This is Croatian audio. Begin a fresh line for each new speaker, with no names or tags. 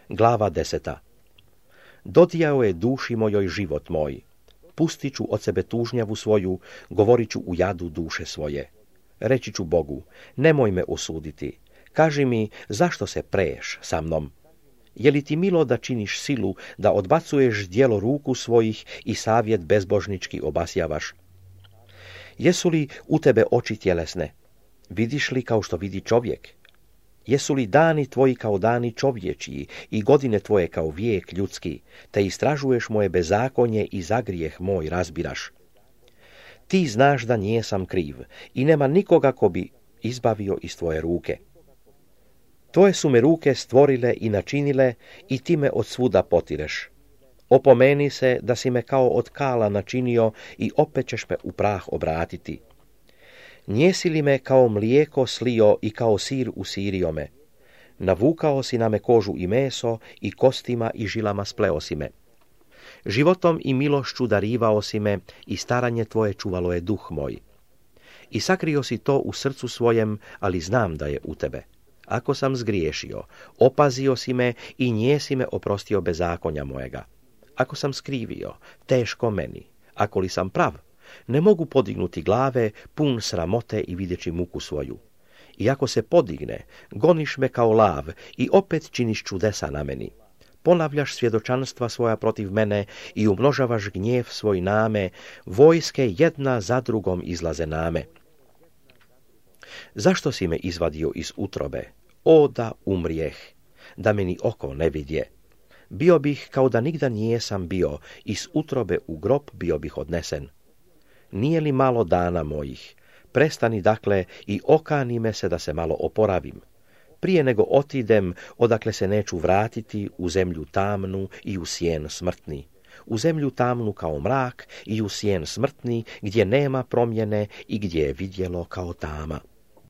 Glava 10. Dodijao je duši mojoj život moj. Pustit ću od sebe tužnjavu svoju, govorit ću u jadu duše svoje. Reći ću Bogu, nemoj me osuditi. Kaži mi, zašto se preješ sa mnom? Je li ti milo da činiš silu, da odbacuješ djelo ruku svojih i savjet bezbožnički obasjavaš? Jesu li u tebe oči tjelesne? Vidiš li kao što vidi čovjek? Jesu li dani tvoji kao dani čovječiji i godine tvoje kao vijek ljudski, te istražuješ moje bezakonje i za grijeh moj razbiraš? Ti znaš da nijesam kriv i nema nikoga ko bi izbavio iz tvoje ruke. Tvoje su me ruke stvorile i načinile i ti me od svuda potireš. Opomeni se da si me kao od kala načinio i opet ćeš me u prah obratiti. Njesi li me kao mlijeko slio i kao sir usirio me? Navukao si na me kožu i meso i kostima i žilama spleo si me. Životom i milošću darivao si me i staranje tvoje čuvalo je duh moj. I sakrio si to u srcu svojem, ali znam da je u tebe. Ako sam zgriješio, opazio si me i njesi me oprostio bezakonja mojega. Ako sam skrivio, teško meni. Ako li sam prav, ne mogu podignuti glave, pun sramote i videći muku svoju. I ako se podigne, goniš me kao lav i opet činiš čudesa na meni. Ponavljaš svjedočanstva svoja protiv mene i umnožavaš gnjev svoj name, vojske jedna za drugom izlaze name. Zašto si me izvadio iz utrobe? O, da umrijeh, da meni oko ne vidje. Bio bih kao da nigda nijesam bio, iz utrobe u grob bio bih odnesen. Nije li malo dana mojih? Prestani dakle i okani me se da se malo oporavim. Prije nego otidem, odakle se neću vratiti, u zemlju tamnu i u sjen smrtni. U zemlju tamnu kao mrak i u sjen smrtni, gdje nema promjene i gdje je vidjelo kao tama.